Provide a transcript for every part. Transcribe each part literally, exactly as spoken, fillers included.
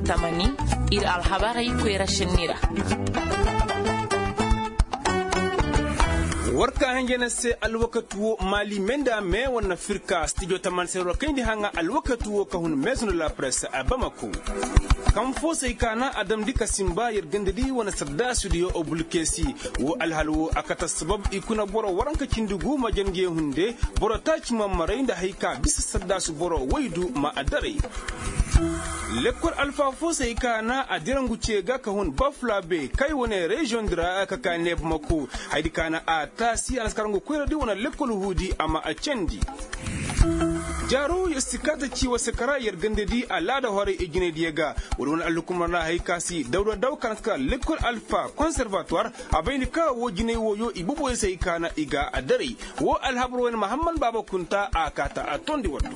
Tamani, ir alhabarey koyra šenni ra. War ka hanjana se alwakati wo maali me nda me wane firka stijo tamani se war kayndi haŋa alwakati wo ka hun meesun da la press a bamako. Kaŋ fo se ay kaana a damndi ka simba yer ganda di wane saddaasudiyo bulkesi. Wo alhal wo a kate assabab i kuna boro waranka cindi gu ma jange hunde. Boro taaci ma maray nda hay ka bisa saddaasu boro waydu ma a daray. Lekkol alfa fo se hay kaana a dirangu ce ga ka hun bafulabe kay wane reziyoŋ di ra ka ka neebamako. Haydi kaana a taasi a na si karaŋ ga koyra di wane lekkol huudi a ma a candi. Jaaro yer si kaata ci wa sakara yer ganda di alaada horay ijinay diya ga. Wala wane alhukumar na hay ka si dawda daw ka na si kara lekkol alfa konservatuwar. A bayndi ka wo jinay wooyo i boboyo se hay kaana i ga a daray. Wo alhabar wayne mahamman baaba kunta a kaata a tondi waddu.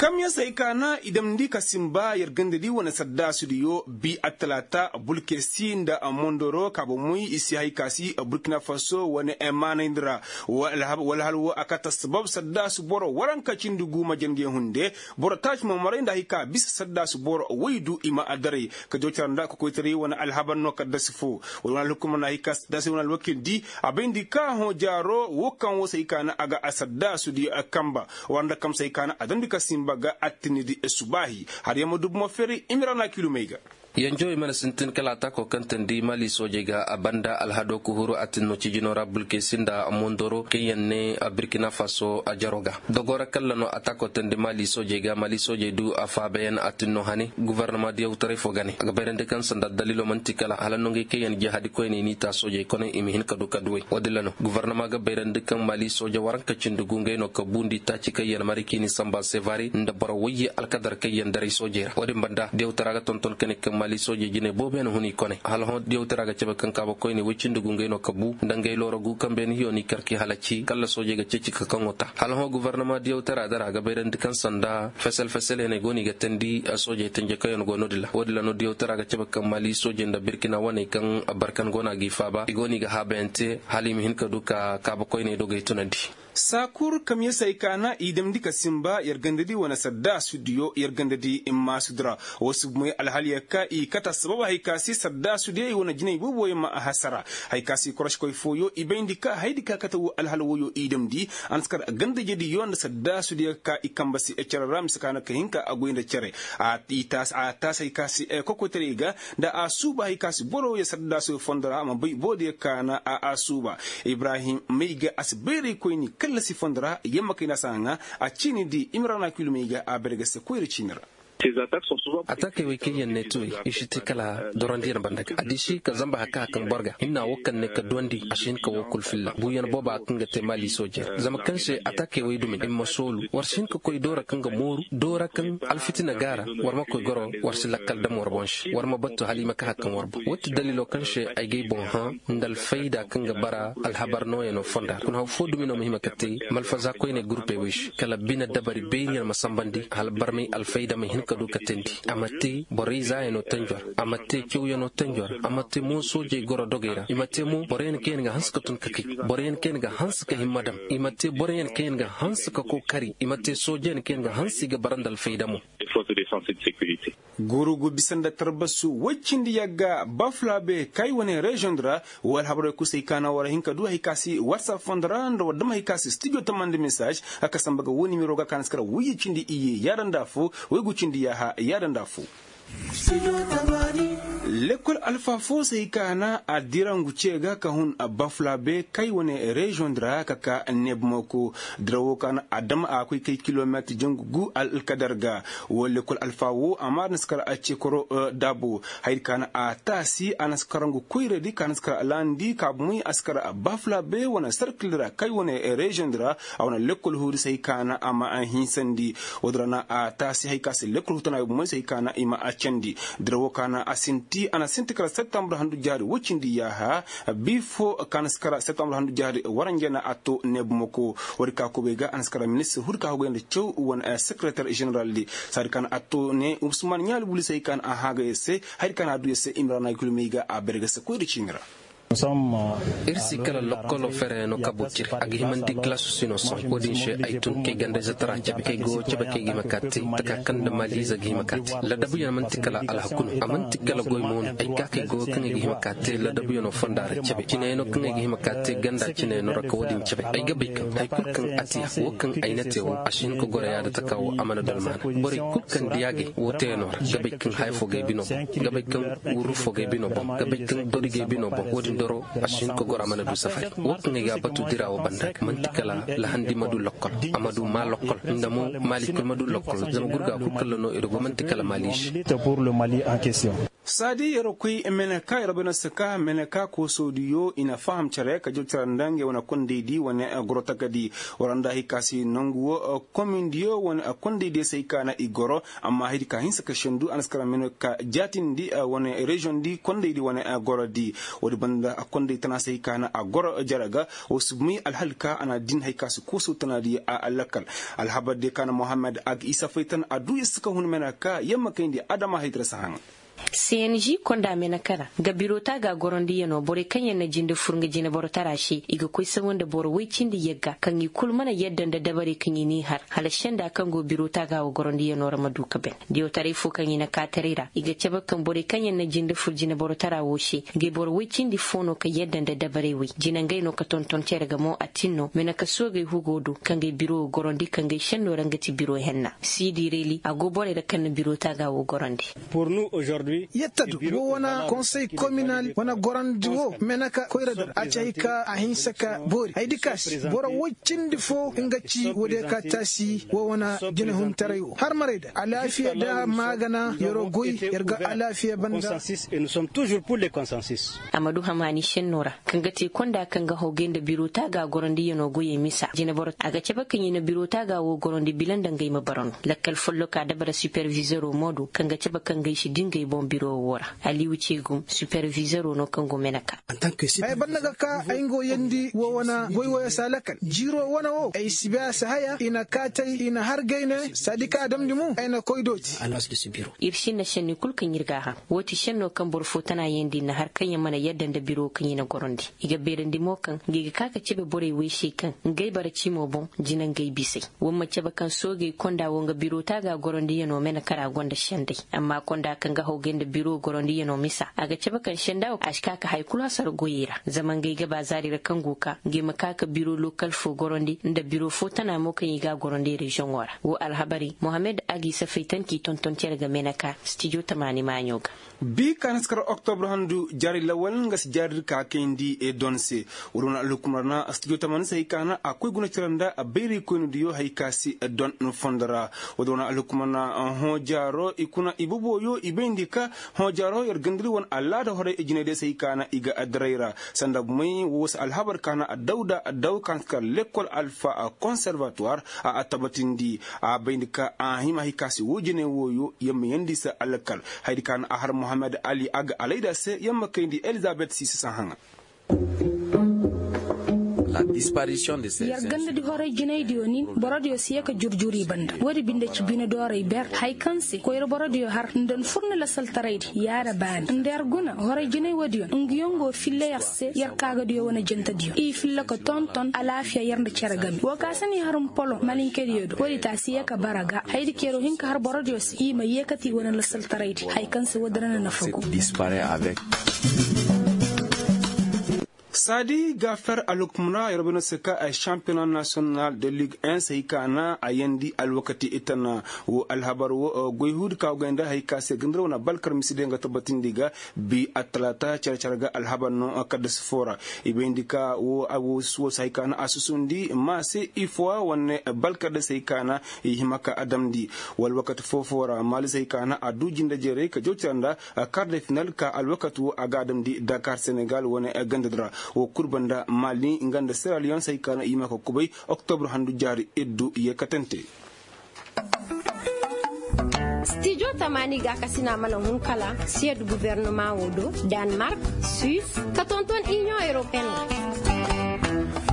Kamyaŋ se hay kaana i damndi ka simba yer ganda di wane saddaasudiyo bi attalaata bulkesi nda mondoro kaabamoy i si hay ka si burkina faso wane maanayndi ra. Wala hal wo a kate assabab saddaasu boro waranka cindi gu ma jange hunde. Boro taaci ma maray nda hay ka bisa saddaasu boro waydu i ma a daray. Ka jocara nda ka koytaray wane alhabar no kaddasi fo. Wala wane alhukumar na hay ka saddaasu wane alwakil di a bayndi ka hõ jaaro wo kaŋ wo se hay kaana a ga a saddaasu di kamba. War nda kam se hay kaana a damndi ka simba ga attinni di subaahi har yaŋ ma dubu ma feeray imira na kilumey ga. Yanjo i mana sintin kala ataako kaŋ teendi maali soojey ga a banda alhado kuhuru atinno cijino ra bulkesi nda mondoro kaŋ yaŋ ne burkina faso a jaro ga. Dogo ra kalla no ataako teendi maali soojey ga maali soojey du a faabayaŋ atinno hane guvarnama diyawtaray fo ga ne a ga bayrandi kaŋ sanda daliilo man'ti kala hala nongey kaŋ yaŋ jihadi koyney n'i ta soojey koney i ma hin ka du ka duwey wo- din ra no guvarnama ga bayrandi kaŋ maali sooje waranka cindi gu ngey no ka buundi taaci kaŋ yaŋ mari k'i ni samba sevare nda boro wayye alkadar kaŋ yaŋ daray soojey ra wo- din banda diyawtara ga tonton ka ne kaŋ maali soojey jinay boobo yaŋ hun i koney hala hõ diyawtara ga cabe kaŋ kaaba koyney woy cindi gu ngey no ka bu nda ngey looro gu kaŋ beene hiyo n'i kar k'i halaci kalla soojey ga ceeci ka kaŋo ta hala hõ guvarnama diyawtara dara ga bayrandi kaŋ sanda fesel fesel yaŋ ay go no i ga teendi soojey tenje kaŋ yaŋ go no- din ra wo- din ra no diyawtara ga cabe kaŋ maali soojey nda birkina waney kaŋ barkan go no a g'i faaba i go no i ga haabayaŋ te hala i ma hin ka du ka kaaba koyney dogey tunandi. Saakur kamyasey kaana i damndi ka simba yer ganda di wane saddaasudiyo yer ganda di immaasudi ra. Wo si bumey alhal yer ka i kate assabab hay ka si saddaasudiyo i wane jinay booboyo ma a hasara. Hay ka si koroškoy fooyo i bayndi ka haydi ka kate wo alhal woyo i damndi. A na si kar gandajediyo nda saddaasudiyo ka i kamba si cere ra mise ka na ka hin ka a goy nda cere. A taasi hay ka si kokoytaray ga nda a suuba hay ka si boro ya saddaasudiyo fondo ra a ma bay boodiyo ka na a suuba. Ibrahim may ga a si bayray koyni kallasi fondo ra yamma kay na si a ŋaa. A ciini di imrana kilumey ga a bayray ga se koyra ciini ra. Atakey wey kaŋ yaŋ ne tuwey i si te kala dorandiyaŋ banda ga a diisi ka zamba haka hakaŋ boro ga hinna wo kaŋ ne ka duwandi a si hin ka wo kul filla buuyaŋ booba kaŋ ga te maali soojey ra zama kaŋ se atakey wey dumi i ma soolu war si hin ka koy doora kaŋ ga mooru doora kaŋ alfitina ga a ra. War ma koy goro war si lakkal dam war boŋ se war ma battu hala i ma ka hakaŋ war boŋ wo ti daliilo kaŋ se ay gay boŋ hã nda alfayda kaŋ ga bara alhabar nooyaŋo fonda ra kuna haw fo dumi no ma hima ka te malfaza koyney gurpey wey se kala bine dabari beeriyaŋ ma sambandi hala barmay alfayda ma hin ka du ka teendi a ma te borey zaayaŋo tanjo ra a ma te cawyaŋo tanjo ra a ma te mo soojey goro dogey ra i ma te mo boroyaŋ kaŋ yaŋ ga hanse ka tun ka kay boroyaŋ kaŋ yaŋ ga hanse ka himma dam i ma te boroyaŋ kaŋ yaŋ ga hanse ka kookari i ma te soojeyaŋ kaŋ yaŋ ga hanse i ga bara nda alfayda mo. Gurugu bisa nda tarbasu woy cindi yagga bafulabe kay wane reziyoŋ di ra. Wo alhabarey kul se hay ka na war hin ka du hay ka si watsap fondo ra nda war dam hay ka si stijo tamandi mesaaž. Ka samba ga wo nimero ga ka na si kara woyye cindi iyye yaada nda afo woy gu cindi yaaha yaada nda afo. Lekol alfa fo se hay ka na a dirangu ce ga ka hun bafulabe kay wane reziyoŋ di ra ka ka nebmoko. Dira wo ka na a dam a koy kay kilometir jangu gu alkadar ga. Wo lekol alfa wo a ma na si kara a ce koro daabo. Hayadi ka na a taasi a na si karangu koyradi ka na si kara laandi ka bumey a si kara bafulabe wane sarkil ra kay wane reziyoŋ di ra. A wane lekkol huudi se hay ka na a ma a hinsandi. Wo-din ra na a taasi hay ka se lekkol hutanaayo bumey se hay ka na i ma a candi. Dira wo ka na a sinti a na sinti kala septambur handu jaari woy cindi yaaha. Bi fo ka na si kara septambur handu jaari waranja na a to neebumako. Woodi ka kubay ga a na si kara ministir huudi ka hugay nda caw wane sekereter jeneral di. Saadi ka na a to ne usman ɲaali buli se hay ka na a haagay se. Hayadi ka na a du ya se imrana gulmey ga a berge se koyri ciini ra. Ir si kala lokkolo fereyaŋo kabu ciri a ga himandi kilaasu si no sohõ wo-din se ay tun kay ganda-izetara cabe kay go cabe kay ga hima ka te taka kaŋ nda maali-ize ga hima ka te ladabuyaŋ man'ti kala alhaku no a man'ti kala goy mo no ay ka kay go kaŋ ay ga hima ka te ladabuyaŋo fonda ra cabe cineyaŋo kaŋ ay ga hima ka te ganda cineyaŋo ra ka wo-din cabe ay ga bay kaŋ hari kulu kaŋ a te ya wo kaŋ ay na te wo a si hin ka goro yaada taka wo a mana dolmaana borey kulu kaŋ diya gay wo teyaŋo ra ga bay kaŋ haya fo ga ay bino boŋ ga bay kaŋ wurru fo ga ay bino boŋ ga bay kaŋ dori ga ay bino boŋ wo-din doro a si hin ka goro a mana du safari wo kaŋ ay ga a batu dira wo banda ga man'ti kala lahandi ma du lokkol a ma du maa lokkol nda mo maali kul ma du lokkol zama gurga kul kalla no i du go man'ti kala maali se. Saadi yer koy meneka yer bana saka meneka koosodiyo i na faham care ka jaw care nda ngey wane kondaydi wane goro takadi. War nda hay ka si nangu wo komindiyo wane kondaydiyo se hay ka na i goro amma haydi ka hinsa ka sendu a na si kara meneka jaatindi wane reziyoŋdi kondaydi wane gorodi. Woodi banda konday tana se hay ka na a goro jere ga wo si may alhal ka a na din hay ka si kooso tanadi a lakkal. Alhabar diyo ka na mohammed a ga isa faytan a du isa ka hun meneka yer ma kayndi adama haydira si haŋ. Senji konda meneka ra nga biro taaga gorondiyanoo borey kaŋ yaŋ na jinde fur nga jine boro tara se i ga koy sawa nda boro woy cindi yagga kaŋ i kul mana yadda nda dabarey kaŋ i n'i har hala senda kaŋ go biro taaga wo gorondiyanoo ra ma du ka ben. Diyotaray fo kaŋ i na kaataray ra i ga cabe kaŋ borey kaŋ yaŋ na jinde fur jine boro tara wo se ngey boro woy cindi fo no ka yadda nda dabarey woy jine ngey no ka tonton cere ga mo a tin no meneka soogey hugo do ka ngey biro wo gorondi ka ngey senno ra nga ti biro henna. Siidi reeli a go borey ra kaŋ na biro taaga wo gorondi. Yetta du wo wane konsey kominal wane gorandi wo meneka koyra dar a ci hay ka a hinsa ka boori haydi ka se boro woy cindi fo nga ci woodiyo ka taasi wo wane jinehuntaray wo har maray da alaafiya da maagana yer'o goy yer ga alaafiya banda. A ma du hamaani senno ra kaŋ ga te konda kaŋ ga hawgay nda biro taaga gorondiyanoo goyey misa jineboro a ga cabe kaŋ i na biro taaga wo gorondi bila nda ngey ma bara no. Lakkal folloka dabara supervizero mo do kaŋ ga cabe kaŋ ga ay si dingay boŋ biro wo ra. Aliyu ceegum supervizero no kaŋ go mene ka. Ay banda ga ka ay nga wo yandi wo wane goy woyo se a lakkal jiiro wane wo ay si bay a si haya i na kaatay i na har gayne saadi ka a damndi mo ay na koy dooti. Ir sinna senni kul kaŋ ir ga a haŋ. Wo ti senno kaŋ boro fo tana yandi na har kaŋ ya mana yadda nda biro kaŋ i na gorondi. I ga beerandi mo kaŋ ngey ga ka ka cebe borey wey se kaŋ ngey bara cimo boŋ jina ngey bisey. Wa ma cabe kaŋ soogey konda wo nga biro taaga gorondiyanoo mene kara gonda senday amma konda kaŋ ga hawgay nda biro gorondiyanoo misa a ga cabe kaŋ senda wo a si ka ka haya kulu hasara goyey ra zama ngey ga ba zaari ra kaŋ go ka ngey ma ka ka biro lokal fo gorondi nda biro fo tana mo kaŋ i ga a gorondi reziyoŋo ra wo alhabarey mohammed a g'i safay tan k'i tonton cere ga mene ka stijo tamaani maaɲo ga. Bi ka na si kar oktobra handu jaari lawal nga si jaari dir ka kayndi don se. Woodi wane alhukumar na studio tamaani se hay ka na a koy guna cere nda bayraykoynidiyo hay ka si don fondo ra. Woodi wane alhukumar na hõ jaaro i kuna i boboyo i bayndi ka hõ jaaro yer gandari wane alaada horay jinaydiyo se hay ka na i ga daray ra. Sanda bumey wo si alhabar ka na dawda daw ka na si kar lekkol alfa konservatuwar a a tabatindi. A bayndi ka a hima hay ka se wo jinay wooyo yer ma yeendi se alkal. Hayadi ka na a har mohammed ali a ga alayda se yer ma kayndi elizabet si si sahaŋa. Yer gandadi horay jinaydiyo nin borodiyo si ye ka jurjur i banda woodi binde ci bine dooray ber. Hay kaŋ se koyra borodiyo har nda ni furni lasaltaraydi yaada baani nda yer guna horay jinay woodiyo ngi yongo filla yer se yer kaagadiyo wane jantadiyo i filla ka tonton alaafiya yer nda cere game wo ka se ni har mpolo malinkediyo do woodi taasi ye ka bara ga haydi kero hin ka har borodiyo se i ma yeekati wane lasaltaraydi hay kaŋ se woodi ra na nafa go. Saadi gaafer alhukumra yer bay no se ka ay shampiyona nasiyonal de lig en se hay ka na a yeendi alwakati itana wo alhabar wo goy huudi ka go gayndi hay ka se gandar wane balkar misidiyo nga tabbatindi ga bi attalaata care care ga alhabar no kadda si fo ra. I bayndi ka wo se hay ka na a susundi ma se ifowa wane balkar de se hay ka na i hima ka a damndi. Wala wakati foo-foo ra maali se hay ka na a du jinde jeeray ka jaw care nda kar de final ka alwakati wo a ga a damndi dakar senegal wane gandadi ra. Wo kul banda maali nga nda seraliyon se hay ka na i hima ka kubay oktobur handu jaari iddu yeekatante. Stijo tamaani ga kasina mana hun kala siyad gubernama wo do, danmark, suis, ka tonton inion europeen ga.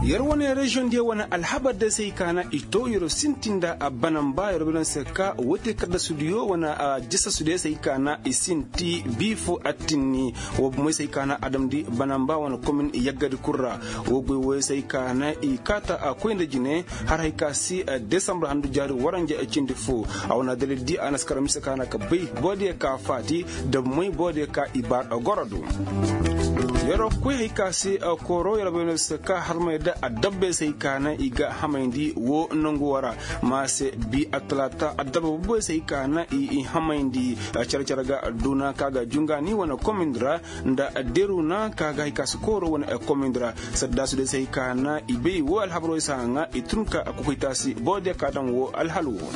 Yer wane reziyoŋ diyo wane alhabar day se hay ka na i to yer sinti nda banamba yer wane se ka woy te kaddasudiyo wane jisasudiyo se hay ka na i sinti bii fo attinni. Wo bomey se hay ka na a damndi banamba wane komin yaggadi kul ra. Wo goy woy se hay ka na i kaata koy nda jine har hay ka si desambur handu jaari waranja cindi fo. A wane dalil di a na si kar mise ka na ka bay boodiyo ka faati da moy boodiyo ka i baar goro do. Yeroo koy hay ka se kooro yeroo bay no se ka harmay da adabba se hay ka na i ga hamayndi wo nangu wo ra. Ma se bi attalaata adabba boobo se hay ka na i hamayndi care care ga duna ka ga jungaani wane komindi ra nda deruna ka ga hay ka se kooro wane komindi ra. Saddaasu de se hay ka na i bay wo alhabaroo se haŋa i tun ka kokoytaasi boodiyo ka daŋ wo alhal wo.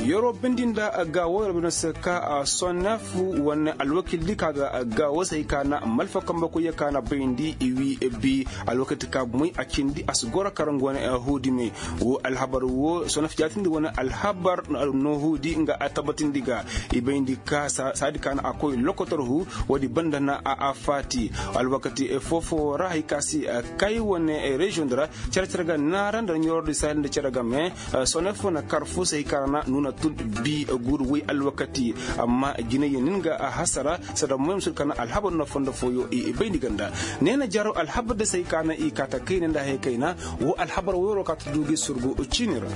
Yeroo bindi nda gaawo yeroo bindi se ka sonef wane alwakil di ka ga gaawo se hay ka na malfa kambe koyyo ka na bayndi i wi bi alwakati ka moy a cindi a si goro kar nga wane huudi me. Wo alhabar wo sonef jaatindi wane alhabar noohuudi nga a tabatindi ga i bayndi ka saadi ka na a koy lokotor hu. Woodi banda na a faati alwakati foofoo ra hay ka si kay wane reziyoŋ di ra. Cere cere ga naara nda ɲoroodi saahil nda cere game. Sonef na kar fo se hay ka ra na nuuna tun bi guuru woy alwakati. Amma jinayyo nin ga a hasara sada moy musul ka na alhabar no fondo fooyo i bayndi ganda. Ne na jaro alhabar da se hay ka na i kaata kayna nda hay kayna. Wo alhabar woyro ka ta du gi surgu ciini ra.